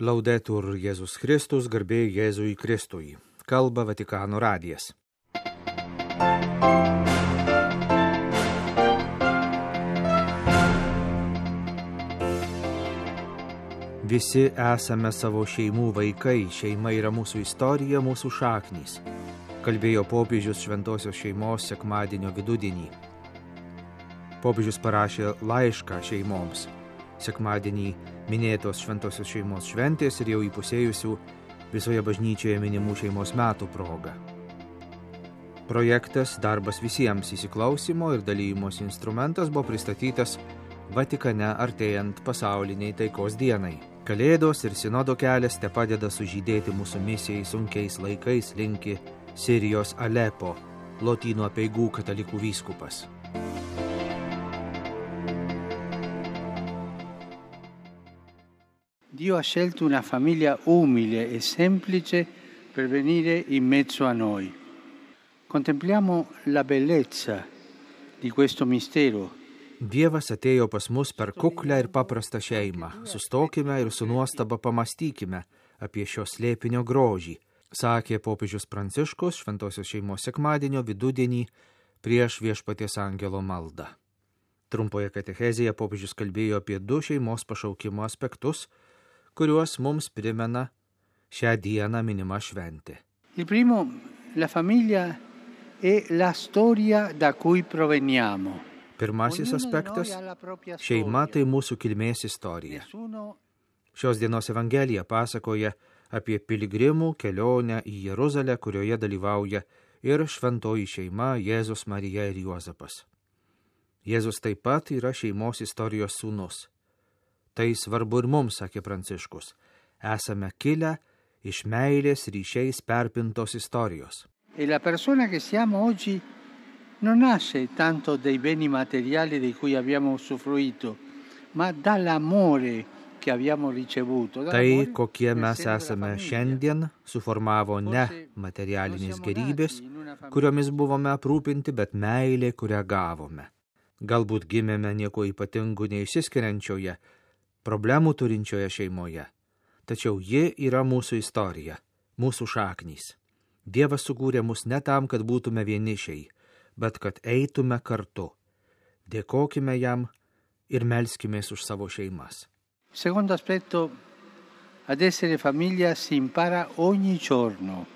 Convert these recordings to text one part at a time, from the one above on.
Laudetur Jėzus Kristus, garbė Jėzui Kristui. Kalba Vatikano radijas. Visi esame savo šeimų vaikai, šeima yra mūsų istorija, mūsų šaknys, kalbėjo popiežius šventosios šeimos sekmadienio vidudienį. Popiežius parašė laišką šeimoms. Sekmadienį minėtos šventosios šeimos šventės ir jau įpusėjusių visoje bažnyčioje minimų šeimos metų proga. Projektas Darbas visiems įsiklausimo ir dalyjimosi instrumentas buvo pristatytas Vatikane artėjant pasauliniai taikos dienai. Kalėdos ir sinodo kelias te padeda sužydėti mūsų misijai sunkiais laikais, linki Sirijos Alepo, Lotynų apeigų katalikų vyskupas. Dio ha scelto una famiglia umile e semplice per venire in mezzo a noi. Contempliamo la bellezza di questo mistero. Dievas atėjo pas mus per kuklę ir paprastą šeimą. Sustokime ir su nuostaba pamastykime apie šio slėpinio grožį, sakė popiežius Pranciškus šventosios šeimos sekmadienio vidudienį prieš Viešpaties angelo maldą. Trumpoje katechezėje popiežius kalbėjo apie du šeimos pašaukimo aspektus, kuriuos mums primena šią dieną minima šventė. Il primo, la famiglia è la storia da cui proveniamo. Pirmasis aspektas – šeima tai mūsų kilmės istorija. Šios dienos evangelija pasakoja apie piligrimų kelionę į Jeruzalę, kurioje dalyvauja ir šventoji šeima Jėzus, Marija ir Juozapas. Jėzus taip pat yra šeimos istorijos sūnus. Tai svarbu ir mums, sakė Pranciškus. Esame kilę iš meilės ryšiais perpintos istorijos. E la persona che siamo oggi non nasce tanto dei beni materiali di cui abbiamo usufruito, ma dall'amore che abbiamo ricevuto. Tai, kokie mes esame šiandien, suformavo ne materialinės gerybės, kuriomis buvome aprūpinti, bet meilė, kurią gavome. Galbūt gimėme nieko ypatingų neišsiskiriančioje, problemų turinčioje šeimoje. Tačiau ji yra mūsų istorija, mūsų šaknys. Dievas sukūrė mus ne tam, kad būtume vienišiai, bet kad eitume kartu. Dėkokime jam ir melskimės už savo šeimas. Secondo aspetto, ad essere famiglia si impara ogni giorno.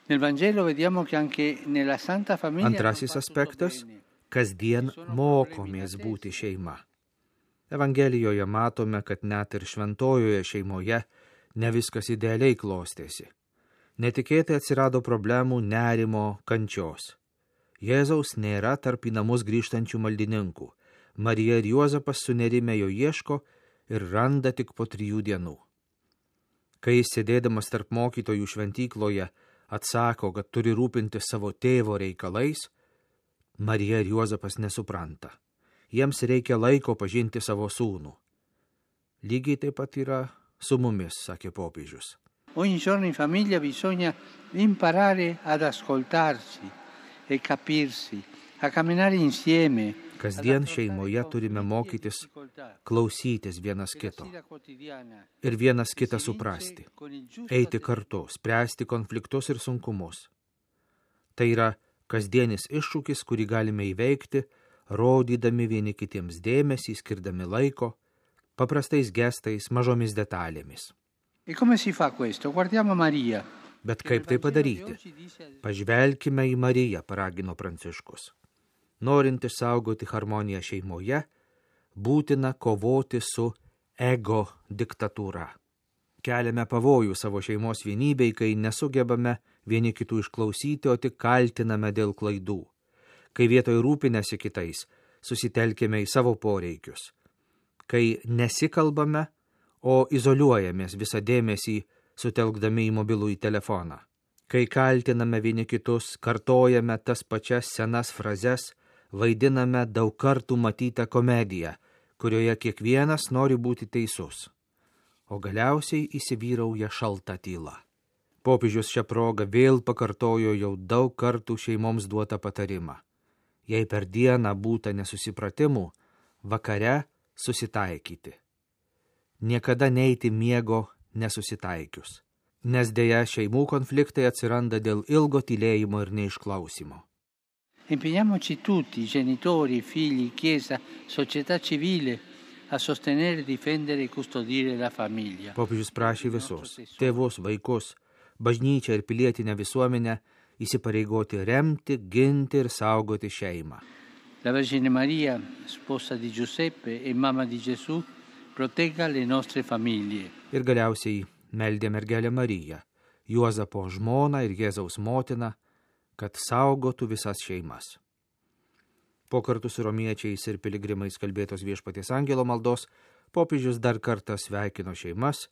Nel Vangelo vediamo che anche nella Santa Famiglia. Antrasis aspektas, kasdien mokomės būti šeima. Evangelijoje matome, kad net ir šventojoje šeimoje ne viskas idealiai klostėsi. Netikėtai atsirado problemų, nerimo, kančios. Jėzaus nėra tarp į namus grįžtančių maldininkų. Marija ir Juozapas sunerime jo ieško ir randa tik po 3 dienų. Kai jis sėdėdamas tarp mokytojų šventykloje atsako, kad turi rūpinti savo tėvo reikalais, Marija ir Juozapas nesupranta. Jiems reikia laiko pažinti savo sūnų. Lygiai taip pat yra su mumis, sakė popiežius. Ogni giorno in famiglia bisogna imparare ad ascoltarsi e capirsi, a camminare insieme. Kasdien šeimoje turime mokytis klausytis vienas kito ir vienas kitą suprasti, eiti kartu, spręsti konfliktus ir sunkumus. Tai yra kasdienis iššūkis, kurį galime įveikti, rodydami vieni kitiems dėmesį, skirdami laiko, paprastais gestais, mažomis detalėmis. E come si fa questo? Guardiamo Maria. Bet kaip tai padaryti? Pažvelkime į Mariją, paragino Pranciškus. Norint išsaugoti harmoniją šeimoje, būtina kovoti su ego diktatūra. Keliame pavojų savo šeimos vienybei, kai nesugebame vieni kitų išklausyti, o tik kaltiname dėl klaidų. Kai vietoj rūpinėsi kitais, susitelkime į savo poreikius. Kai nesikalbame, o izoliuojamės visą dėmesį, sutelkdami į mobilųjį telefoną. Kai kaltiname vieni kitus, kartojame tas pačias senas frazes, vaidiname daug kartų matytą komediją, kurioje kiekvienas nori būti teisus. O galiausiai įsivyrauja šalta tyla. Popiežius šią progą vėl pakartojo jau daug kartų šeimoms duotą patarimą. Jei per dieną būta nesusipratimų, vakare susitaikyti. Niekada neiti miego nesusitaikius. Nes dėja šeimų konfliktai atsiranda dėl ilgo tylėjimo ir neišklausimo. Impegniamoci tutti, genitori, figli, Chiesa, società civile, a sostenere, difendere e custodire la famiglia. Popiežius prašė visus – tėvus, vaikus, bažnyčią ir pilietinę visuomenę įsipareigoti remti, ginti ir saugoti šeimą. La Vergine Maria, sposa di Giuseppe e mamma di Gesù, protegga le nostre famiglie. Ir galiausiai meldė mergelę Mariją, Juozapo žmoną ir Jėzaus motiną, kad saugotų visas šeimas. Po kartu su romiečiais ir piligrimais kalbėtos Viešpaties angelo maldos, popiežius dar kartą sveikino šeimas,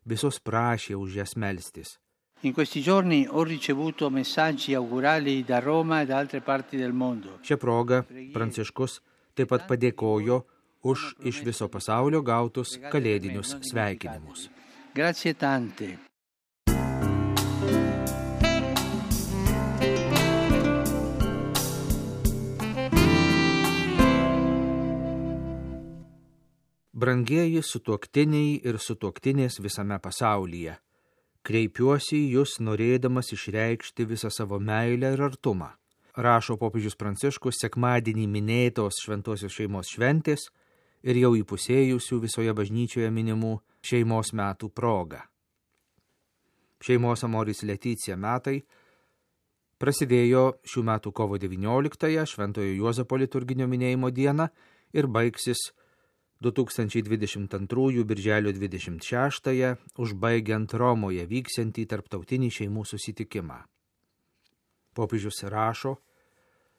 visus prašė už jas melstis. In questi giorni ho ricevuto messaggi augurali da Roma e da altre parti del mondo. Šia proga Pranciškus taip pat padėkojo už iš viso pasaulio gautus kalėdinius sveikinimus. Grazie tante. Brangieji sutuoktiniai ir sutuoktinės visame pasaulyje, kreipiuosi į jūs norėdamas išreikšti visą savo meilę ir artumą. Rašo popiežius Pranciškus sekmadienį minėtos šventosios šeimos šventės ir jau įpusėjusių visoje bažnyčioje minimų šeimos metų proga. Šeimos Amoris Leticia metai prasidėjo šių metų kovo 19-ąją Šventojo Juozapo liturginio minėjimo dieną ir baigsis 2022 birželio 26-ąją, užbaigiant Romoje vyksiantį tarptautinį šeimų susitikimą. Popiežius rašo,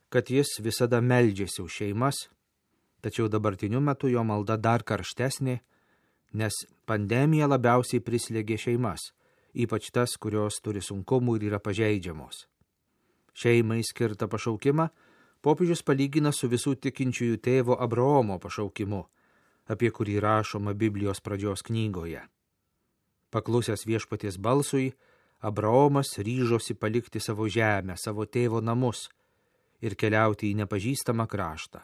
kad jis visada meldžiasi už šeimas, tačiau dabartiniu metu jo malda dar karštesnė, nes pandemija labiausiai prislėgė šeimas, ypač tas, kurios turi sunkumų ir yra pažeidžiamos. Šeimai skirtą pašaukimą popiežius palygina su visų tikinčiųjų tėvo Abraomo pašaukimu, apie kurį rašoma Biblijos pradžios knygoje. Paklusęs Viešpaties balsui, Abraomas ryžosi palikti savo žemę, savo tėvo namus ir keliauti į nepažįstamą kraštą.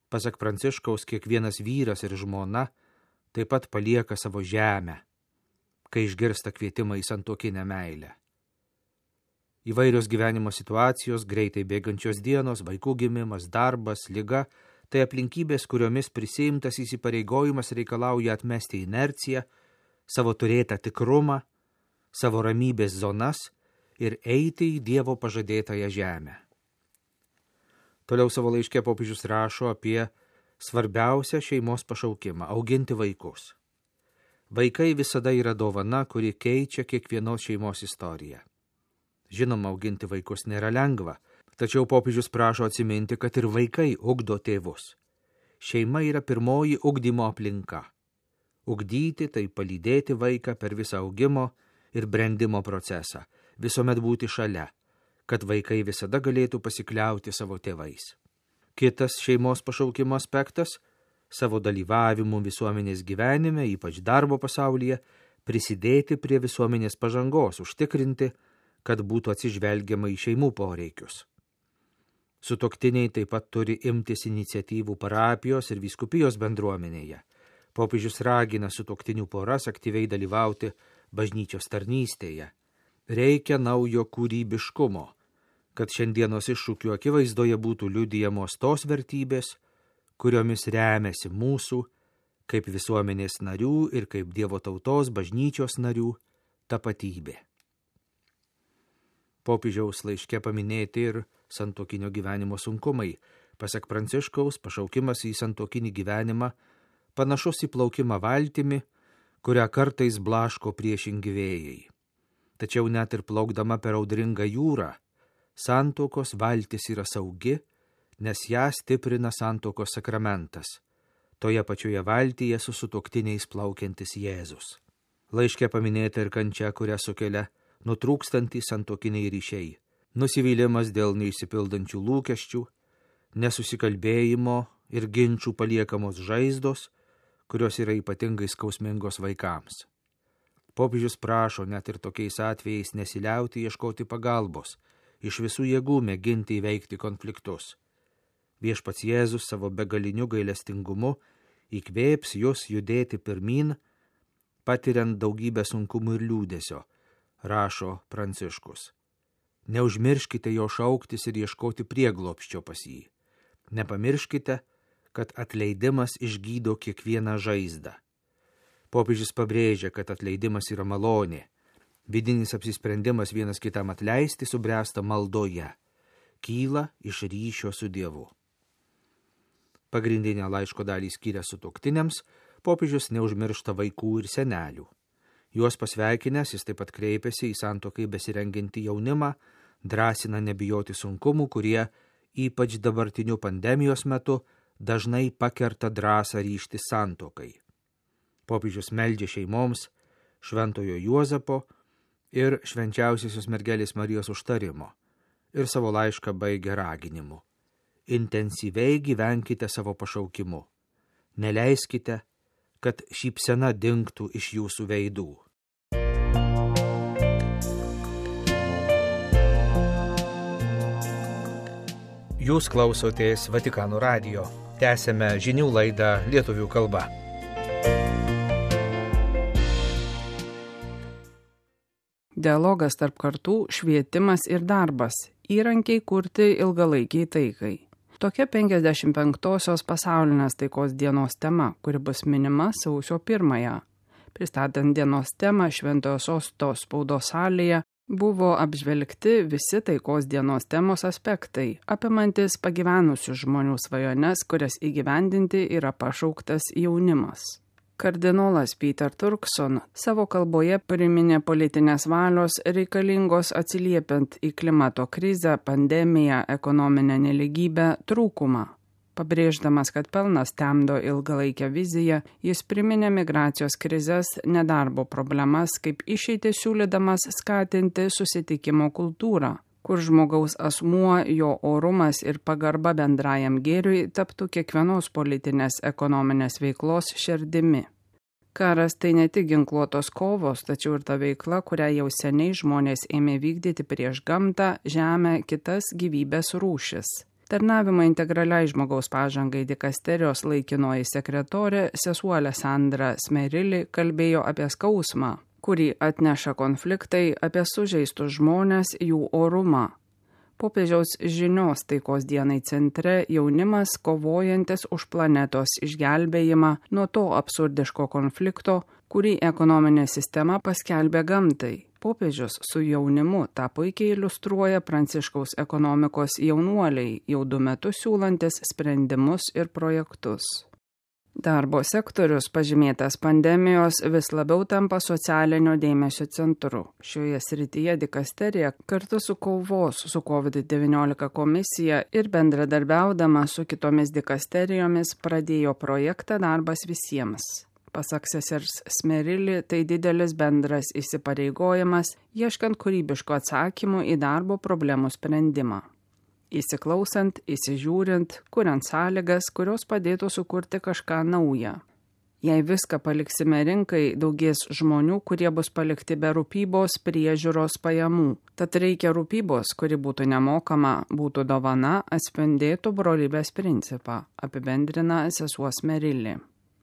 Pasak Pranciškaus, kiekvienas vyras ir žmona taip pat palieka savo žemę, kai išgirsta kvietimą į santuokinę meilę. Įvairios gyvenimo situacijos, greitai bėgančios dienos, vaikų gimimas, darbas, liga – tai aplinkybės, kuriomis prisiimtas įsipareigojimas reikalauja atmesti inerciją, savo turėtą tikrumą, savo ramybės zonas ir eiti į Dievo pažadėtąją žemę. Toliau savo laiške popiežius rašo apie svarbiausią šeimos pašaukimą – auginti vaikus. Vaikai visada yra dovana, kuri keičia kiekvienos šeimos istoriją. Žinoma, auginti vaikus nėra lengva, tačiau popiežius prašo atsiminti, kad ir vaikai ugdo tėvus. Šeima yra pirmoji ugdymo aplinka. Ugdyti tai palydėti vaiką per visą augimo ir brendimo procesą, visuomet būti šalia, kad vaikai visada galėtų pasikliauti savo tėvais. Kitas šeimos pašaukimo aspektas – savo dalyvavimu visuomenės gyvenime, ypač darbo pasaulyje, prisidėti prie visuomenės pažangos, užtikrinti, kad būtų atsižvelgiama į šeimų poreikius. Sutuoktiniai taip pat turi imtis iniciatyvų parapijos ir vyskupijos bendruomenėje. Popiežius ragina sutuoktinių poras aktyviai dalyvauti bažnyčios tarnystėje. Reikia naujo kūrybiškumo, kad šiandienos iššūkių akivaizdoje būtų liudijamos tos vertybės, kuriomis remiasi mūsų, kaip visuomenės narių ir kaip Dievo tautos bažnyčios narių tapatybė. Popiežiaus laiške paminėti ir santuokinio gyvenimo sunkumai. Pasak Pranciškaus, pašaukimas į santuokinį gyvenimą panašus į plaukimą valtimi, kurią kartais blaško priešingi vėjai. Tačiau net ir plaukdama per audringą jūrą, santuokos valtis yra saugi, nes ją stiprina santuokos sakramentas. Toje pačioje valtyje su sutuoktiniais plaukiantis Jėzus. Laiške paminėta ir kančia, kurią sukelia nutrūkstantys santuokiniai ryšiai. Nusivylimas dėl neišsipildančių lūkesčių, nesusikalbėjimo ir ginčių paliekamos žaizdos, kurios yra ypatingai skausmingos vaikams. Popiežius prašo net ir tokiais atvejais nesiliauti ieškoti pagalbos, iš visų jėgų mėginti įveikti konfliktus. Viešpats Jėzus savo begaliniu gailestingumu įkvėps jūs judėti pirmyn, patiriant daugybę sunkumų ir liūdesio, rašo Pranciškus. Neužmirškite jo šauktis ir ieškoti prieglobsčio pas jį. Nepamirškite, kad atleidimas išgydo kiekvieną žaizdą. Popiežius pabrėžia, kad atleidimas yra malonė. Vidinis apsisprendimas vienas kitam atleisti subręsta maldoje. Kyla iš ryšio su Dievu. Pagrindinę laiško dalį skiria sutuoktiniams, popiežius neužmiršta vaikų ir senelių. Juos pasveikinęs, jis taip pat kreipiasi į santuokai besirengiantį jaunimą, drąsina nebijoti sunkumų, kurie, ypač dabartiniu pandemijos metu, dažnai pakerta drąsą ryžtis santuokai. Popiežius meldžia šeimoms Šventojo Juozapo ir Švenčiausiosios mergelės Marijos užtarimo ir savo laišką baigia raginimu. Intensyviai gyvenkite savo pašaukimu. Neleiskite, kad šypsena dingtų iš jūsų veidų. Jūs klausotės Vatikano radijo. Tęsėme žinių laidą lietuvių kalba. Dialogas tarp kartų, švietimas ir darbas – įrankiai kurti ilgalaikiai taikai. Tokia 55-osios pasaulinės taikos dienos tema, kuri bus minima sausio 1-ąją. Pristatant dienos temą Šventojo Sosto spaudos salėje, buvo apžvelgti visi taikos dienos temos aspektai, apimantis pagyvenusių žmonių svajones, kurias įgyvendinti yra pašauktas jaunimas. Kardinolas Peter Turkson savo kalboje priminė politinės valios reikalingos atsiliepiant į klimato krizę, pandemiją, ekonominę nelygybę trūkumą. Pabrėždamas, kad pelnas temdo ilgalaikę viziją, jis priminė migracijos krizės, nedarbo problemas, kaip išeitį siūlydamas skatinti susitikimo kultūrą, kur žmogaus asmuo, jo orumas ir pagarba bendrajam gėriui taptų kiekvienos politinės ekonominės veiklos širdimi. Karas tai ne tik ginkluotos kovos, tačiau ir ta veikla, kurią jau seniai žmonės ėmė vykdyti prieš gamtą, žemę, kitas gyvybės rūšis. Tarnavimo integraliai žmogaus pažangai dikasterijos laikinoji sekretorė sesuo Alessandra Smerili kalbėjo apie skausmą, kurį atneša konfliktai, apie sužeistus žmones, jų orumą. Popiežiaus žinios taikos dienai centre jaunimas kovojantis už planetos išgelbėjimą nuo to absurdiško konflikto, kurį ekonominė sistema paskelbė gamtai. Popiežius su jaunimu tą puikiai iliustruoja Pranciškaus ekonomikos jaunuoliai, jau 2 metus siūlantis sprendimus ir projektus. Darbo sektorius, pažymėtas pandemijos, vis labiau tampa socialinio dėmesio centru. Šioje srityje dikasterija kartu su kovos su COVID-19 komisija ir bendradarbiaudama su kitomis dikasterijomis pradėjo projektą Darbas visiems. Pasak sesers Smerili, tai didelis bendras įsipareigojimas, ieškant kūrybiško atsakymų į darbo problemų sprendimą. Įsiklausant, įsižiūrint, kuriant sąlygas, kurios padėtų sukurti kažką naują. Jei viską paliksime rinkai, daugės žmonių, kurie bus palikti be rūpybos, priežiūros, pajamų. Tad reikia rūpybos, kuri būtų nemokama, būtų dovana, atspindėtų brolybės principą, apibendrina sesuo Smerili.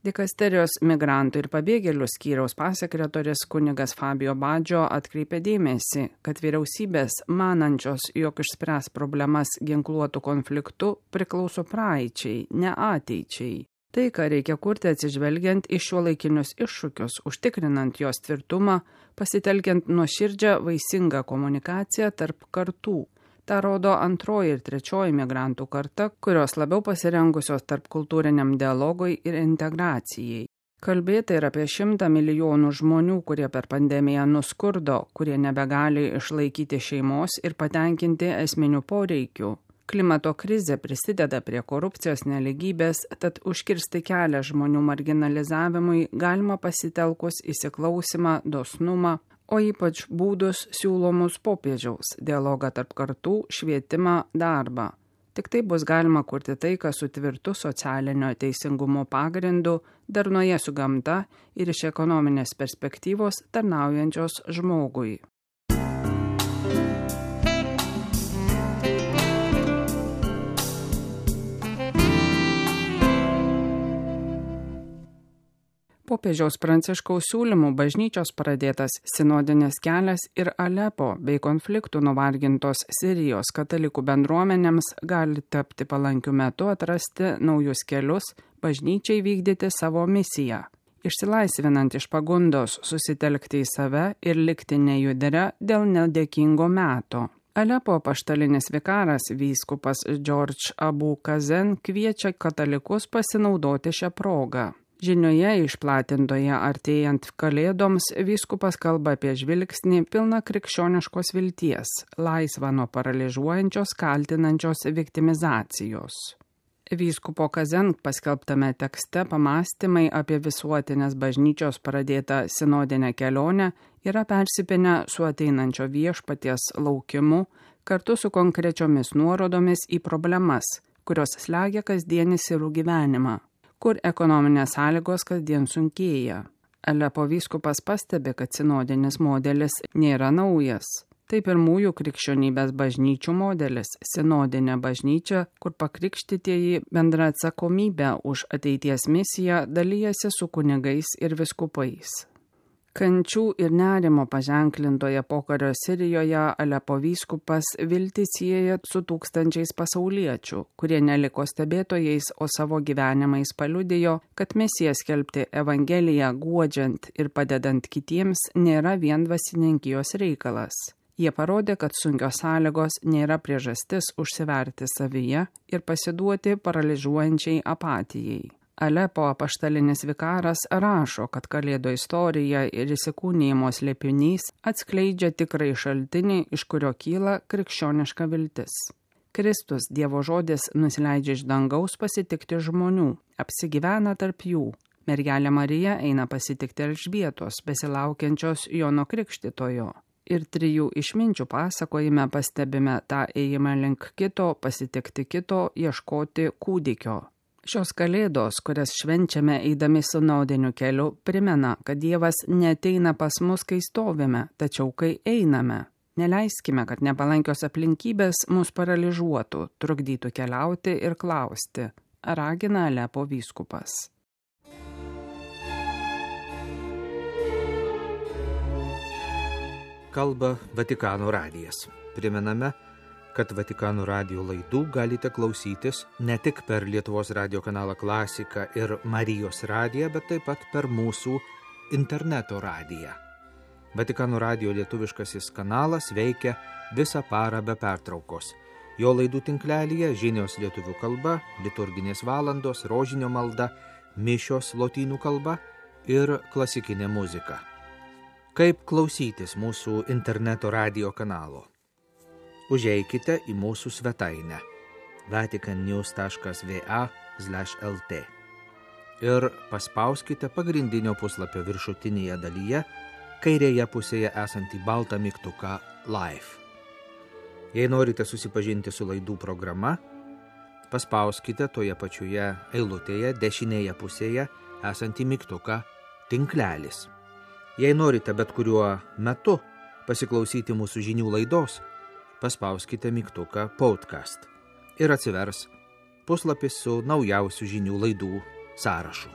Dikasterijos migrantų ir pabėgėlių skyriaus pasekretorius kunigas Fabio Baggio atkreipė dėmesį, kad vyriausybės, manančios, jog išspręs problemas ginkluotų konfliktų, priklauso praeičiai, ne ateičiai. Tai, ką reikia kurti atsižvelgiant į šiuolaikinius iššūkius, užtikrinant jos tvirtumą, pasitelkiant nuoširdžią vaisingą komunikaciją tarp kartų. Ta rodo 2 ir 3 migrantų karta, kurios labiau pasirengusios tarp kultūriniam dialogui ir integracijai. Kalbėta ir apie 100 milijonų žmonių, kurie per pandemiją nuskurdo, kurie nebegali išlaikyti šeimos ir patenkinti esminių poreikių. Klimato krizė prisideda prie korupcijos nelygybės, tad užkirsti kelią žmonių marginalizavimui galima pasitelkus įsiklausimą, dosnumą, o ypač būdus siūlomus popiežiaus, dialogą tarp kartų, švietimą, darbą. Tik taip bus galima kurti taiką su tvirtu socialinio teisingumo pagrindu, darnoje su gamta ir iš ekonominės perspektyvos tarnaujančios žmogui. Popiežiaus Pranciškaus siūlymų bažnyčios pradėtas sinodinis kelias ir Alepo bei konfliktų nuvargintos Sirijos katalikų bendruomenėms gali tapti palankiu metu atrasti naujus kelius bažnyčiai vykdyti savo misiją, išsilaisvinant iš pagundos susitelkti į save ir likti nejudria dėl nedėkingo meto. Alepo apaštalinis vikaras vyskupas George Abu Kazen kviečia katalikus pasinaudoti šią progą. Žinioje išplatintoje artėjant kalėdoms vyskupas kalba apie žvilgsnį pilną krikščioniškos vilties, laisvą nuo paralyžiuojančios kaltinančios viktimizacijos. Vyskupo Kazen paskelbtame tekste pamąstymai apie visuotinės bažnyčios pradėtą sinodinę kelionę yra persipinę su ateinančio viešpaties laukimu kartu su konkrečiomis nuorodomis į problemas, kurios slegia kasdienį sirų gyvenimą, kur ekonominės sąlygos kasdien sunkėja. Alepo vyskupas pastebi, kad sinodinis modelis nėra naujas. Tai pirmųjų krikščionybės bažnyčių modelis – sinodinė bažnyčia, kur pakrikštytieji bendra atsakomybę už ateities misiją dalyjasi su kunigais ir viskupais. Kančių ir nerimo paženklintoje pokario Sirijoje Alepo vyskupas viltį sieja su tūkstančiais pasauliečių, kurie neliko stebėtojais, o savo gyvenimais paliudijo, kad misija skelbti Evangeliją guodžiant ir padedant kitiems nėra vien dvasininkijos reikalas. Jie parodė, kad sunkios sąlygos nėra priežastis užsiverti savyje ir pasiduoti paralyžiuojančiai apatijai. Alepo apaštalinis vikaras rašo, kad Kalėdų istorija ir įsikūnijimo slėpinys atskleidžia tikrai šaltinį, iš kurio kyla krikščioniška viltis. Kristus, Dievo žodis, nusileidžia iš dangaus pasitikti žmonių, apsigyvena tarp jų. Mergelė Marija eina pasitikti Elžbietos, besilaukiančios Jono Krikštytojo. Ir trijų išminčių pasakojime pastebime tą ėjimą link kito, pasitikti kito, ieškoti kūdikio. Šios kalėdos, kurias švenčiame eidami sinodiniu keliu, primena, kad Dievas neateina pas mus, kai stovime, tačiau kai einame. Neleiskime, kad nepalankios aplinkybės mus paralyžiuotų, trukdytų keliauti ir klausti, ragina Alepo vyskupas. Kalba Vatikano radijas. Primename, kad Vatikano radijo laidų galite klausytis ne tik per Lietuvos radijo kanalą Klasika ir Marijos radiją, bet taip pat per mūsų interneto radiją. Vatikano radijo lietuviškasis kanalas veikia visą parą be pertraukos. Jo laidų tinklelyje žinios lietuvių kalba, liturginės valandos, rožinio malda, mišios lotynų kalba ir klasikinė muzika. Kaip klausytis mūsų interneto radijo kanalo? Užeikite į mūsų svetainę vaticannews.va/lt ir paspauskite pagrindinio puslapio viršutinėje dalyje kairėje pusėje esantį baltą mygtuką Live. Jei norite susipažinti su laidų programa, paspauskite toje pačioje eilutėje dešinėje pusėje esantį mygtuką Tinklelis. Jei norite bet kuriuo metu pasiklausyti mūsų žinių laidos, paspauskite mygtuką Podcast ir atsivers puslapis su naujausių žinių laidų sąrašu.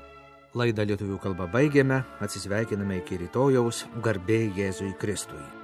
Laidą lietuvių kalba baigėme, atsisveikiname iki rytojaus, garbė Jėzui Kristui.